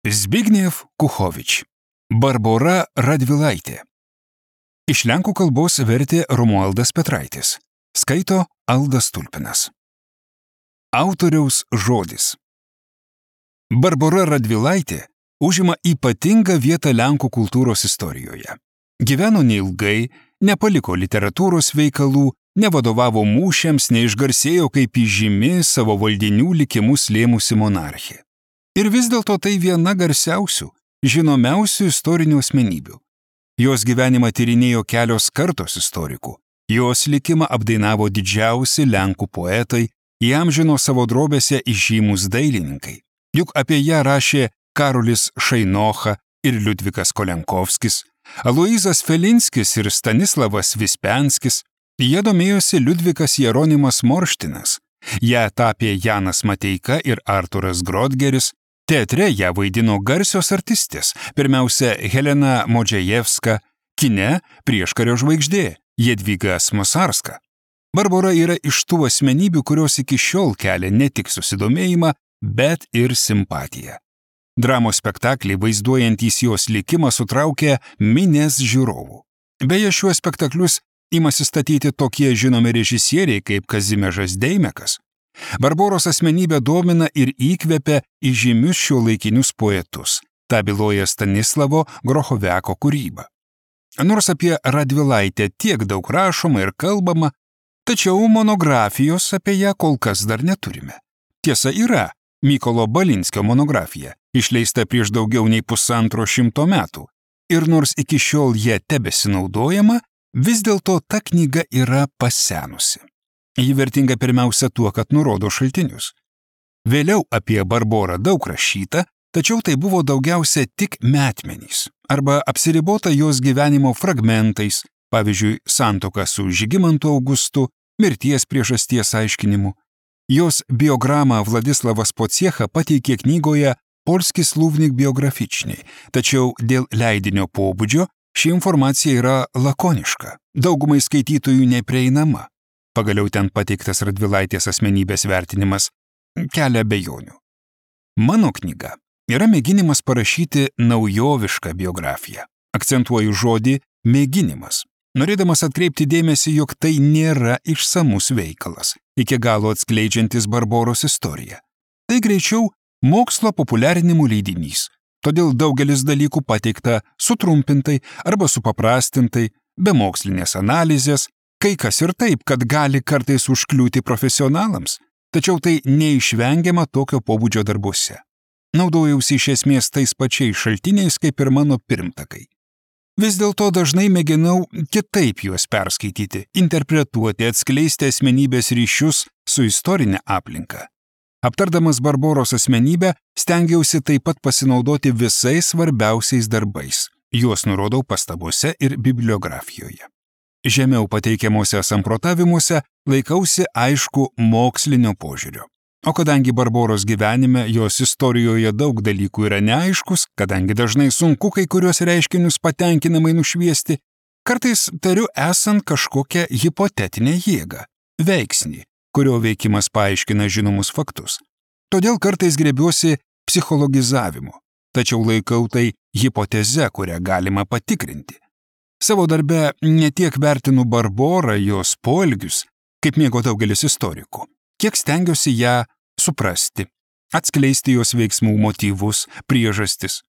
Zbigniew Kuchovič. Barbora Radvilaitė. Iš lenkų kalbos vertė Romualdas Petraitis. Skaito Aldas Tulpinas. Autoriaus žodis. Barbora Radvilaitė užima ypatingą vietą lenkų kultūros istorijoje. Gyveno neilgai, nepaliko literatūros veikalų, nevadovavo mūšiams, neišgarsėjo kaip įžymi savo valdinių likimus lėmusi monarchė. Ir vis dėlto tai viena garsiausių, žinomiausių istorinių asmenybių. Jos gyvenimą tyrinėjo kelios kartos istorikų. Jos likimą apdainavo didžiausi lenkų poetai, įamžino savo drobėse įžymus dailininkai. Juk apie ją rašė Karolis Šainocha ir Liudvikas Kolenkovskis, Aloyzas Felinskis ir Stanislavas Vispenskis. Jie domėjosi Liudvikas Jeronimas Morštinas. Ją tapė Janas Mateika ir Arturas Grodgeris. Teatre ją vaidino garsios artistės, pirmiausia Helena Modžejevska, kine prieškario žvaigždė Jadvyga Smosarska. Barbora yra iš tų asmenybių, kurios iki šiol kelia ne tik susidomėjimą, bet ir simpatiją. Dramos spektakliai vaizduojantys jos likimą sutraukė minias žiūrovų. Beje, šiuos spektaklius imasi statyti tokie žinomi režisieriai kaip Kazimiežas Deimekas. Barboros asmenybė domina ir įkvepia įžymius šiuolaikinius poetus. Ta byloja Stanislavo Grochoviako kūryba. Nors apie Radvilaitę tiek daug rašoma ir kalbama, tačiau monografijos apie ją kol kas dar neturime. Tiesa yra Mykolo Balinskio monografija, išleista prieš daugiau nei 150 metų. Ir nors iki šiol jie tebesinaudojama, vis dėlto ta knyga yra pasenusi. Ji vertinga pirmiausia tuo, kad nurodo šaltinius. Vėliau apie Barborą daug rašyta, tačiau tai buvo daugiausia tik metmenys arba apsiribota jos gyvenimo fragmentais, pavyzdžiui, santuoka su Žygimantu Augustu, mirties priežasties aiškinimu. Jos biogramą Vladislavas Pociecha pateikė knygoje Polski Słownik biografičniai, tačiau dėl leidinio pobūdžio ši informacija yra lakoniška, daugumai skaitytojų neprieinama. Pagaliau ten pateiktas Radvilaitės asmenybės vertinimas kelia abejonių. Mano knyga yra mėginimas parašyti naujovišką biografiją. Akcentuoju žodį mėginimas, norėdamas atkreipti dėmesį, jog tai nėra išsamus veikalas, iki galo atskleidžiantis Barboros istoriją. Tai greičiau mokslo populiarinimų leidinys, todėl daugelis dalykų pateikta sutrumpintai arba supaprastintai, be mokslinės analizės, kai kas ir taip, kad gali kartais užkliūti profesionalams, tačiau tai neišvengiama tokio pobūdžio darbuose. Naudojausi iš esmės tais pačiais šaltiniais kaip ir mano pirmtakai. Vis dėlto dažnai mėginau kitaip juos perskaityti, interpretuoti, atskleisti asmenybės ryšius su istorinė aplinka. Aptardamas Barboros asmenybę, stengiausi taip pat pasinaudoti visais svarbiausiais darbais. Juos nurodau pastabose ir bibliografijoje. Žemiau pateikiamuose samprotavimuose laikausi aišku mokslinio požiūrio. O kadangi Barboros gyvenime, jos istorijoje daug dalykų yra neaiškus, kadangi dažnai sunku kai kuriuos reiškinius patenkinamai nušviesti, kartais tariu esant kažkokią hipotetinę jėgą, veiksnį, kurio veikimas paaiškina žinomus faktus. Todėl kartais griebiuosi psichologizavimu, tačiau laikau tai hipoteze, kurią galima patikrinti. Savo darbe netiek vertinu Barborą, jos poelgius, kaip mėgo daugelis istorikų, kiek stengiuosi ją suprasti, atskleisti jos veiksmų motyvus, priežastis.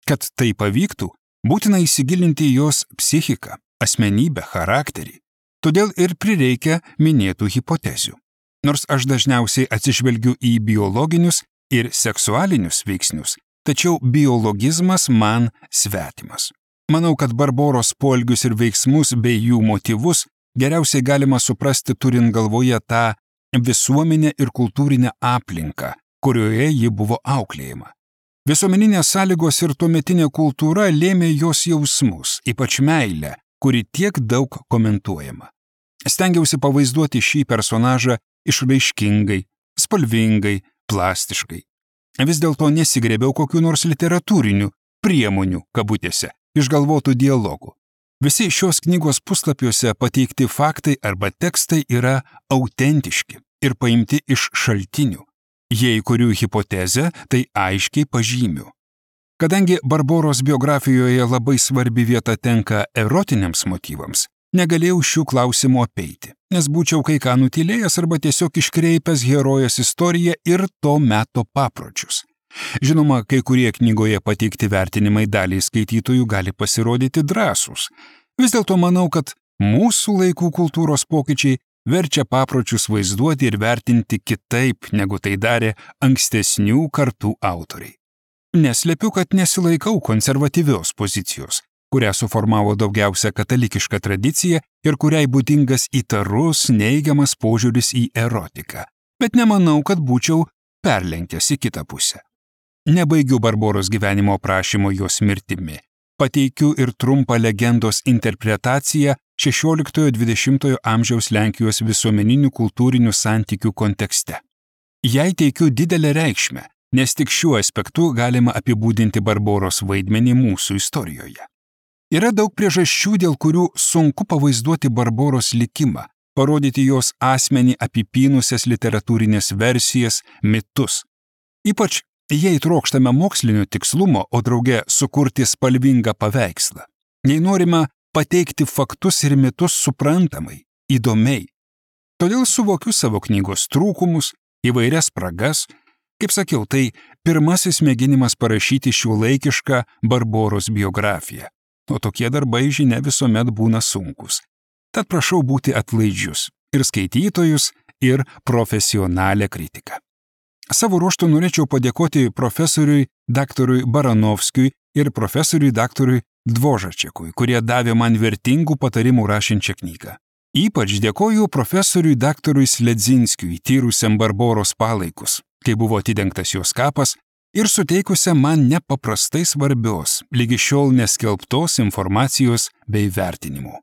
Kad tai pavyktų, būtina įsigilinti į jos psichiką, asmenybę, charakterį. Todėl ir prireikia minėtų hipotezių. Nors aš dažniausiai atsižvelgiu į biologinius ir seksualinius veiksnius, tačiau biologizmas man svetimas. Manau, kad Barboros poelgius ir veiksmus bei jų motyvus geriausiai galima suprasti turint galvoje tą visuomenę ir kultūrinę aplinką, kurioje ji buvo auklėjama. Visuomeninės sąlygos ir tuometinė kultūra lėmė jos jausmus, ypač meilę, kuri tiek daug komentuojama. Stengiausi pavaizduoti šį personažą išraiškingai, spalvingai, plastiškai. Vis dėlto nesigrėbiau kokių nors literatūrinių priemonių, kabutėse, išgalvotų dialogų. Visi šios knygos puslapiuose pateikti faktai arba tekstai yra autentiški ir paimti iš šaltinių. Jei kurių hipotezę, tai aiškiai pažymiu. Kadangi Barboros biografijoje labai svarbi vieta tenka erotiniams motyvams, negalėjau šių klausimų apeiti, nes būčiau kai ką nutylėjęs arba tiesiog iškreipęs herojės istoriją ir to meto papročius. Žinoma, kai kurie knygoje pateikti vertinimai daliai skaitytojų gali pasirodyti drąsūs. Vis dėlto manau, kad mūsų laikų kultūros pokyčiai verčia papročius vaizduoti ir vertinti kitaip, negu tai darė ankstesnių kartų autoriai. Neslepiu, kad nesilaikau konservatyvios pozicijos, kurią suformavo daugiausia katalikiška tradicija ir kuriai būdingas įtarus, neigiamas požiūris į erotiką, bet nemanau, kad būčiau perlenkęs į kitą pusę. Nebaigiu Barboros gyvenimo aprašymo jos mirtimi. Pateikiu ir trumpą legendos interpretaciją 16–20 amžiaus Lenkijos visuomeninių kultūrinių santykių kontekste. Jai teikiu didelę reikšmę, nes tik šiuo aspektu galima apibūdinti Barboros vaidmenį mūsų istorijoje. Yra daug priežasčių, dėl kurių sunku pavaizduoti Barboros likimą, parodyti jos asmenį apipynusias literatūrinės versijas, mitus. Ypač jei trokštame mokslinio tikslumo, o drauge sukurti spalvingą paveikslą. Jei norime pateikti faktus ir mitus suprantamai, įdomiai. Todėl suvokiu savo knygos trūkumus, įvairias spragas. Kaip sakiau, tai pirmasis mėginimas parašyti šiuolaikišką Barboros biografiją. O tokie darbai, žinia, visuomet būna sunkus. Tad prašau būti atlaidžius ir skaitytojus, ir profesionalią kritiką. Savo ruožtu norėčiau padėkoti profesoriui daktarui Baranovskiui ir profesoriui daktarui Dvožačekui, kurie davė man vertingų patarimų rašinčią knygą. Ypač dėkoju profesoriui daktarui Sledzinskiui, tyrusiam Barboros palaikus, kai buvo atidengtas jos kapas, ir suteikusiam man nepaprastai svarbios, lygi šiol neskelbtos informacijos bei vertinimų.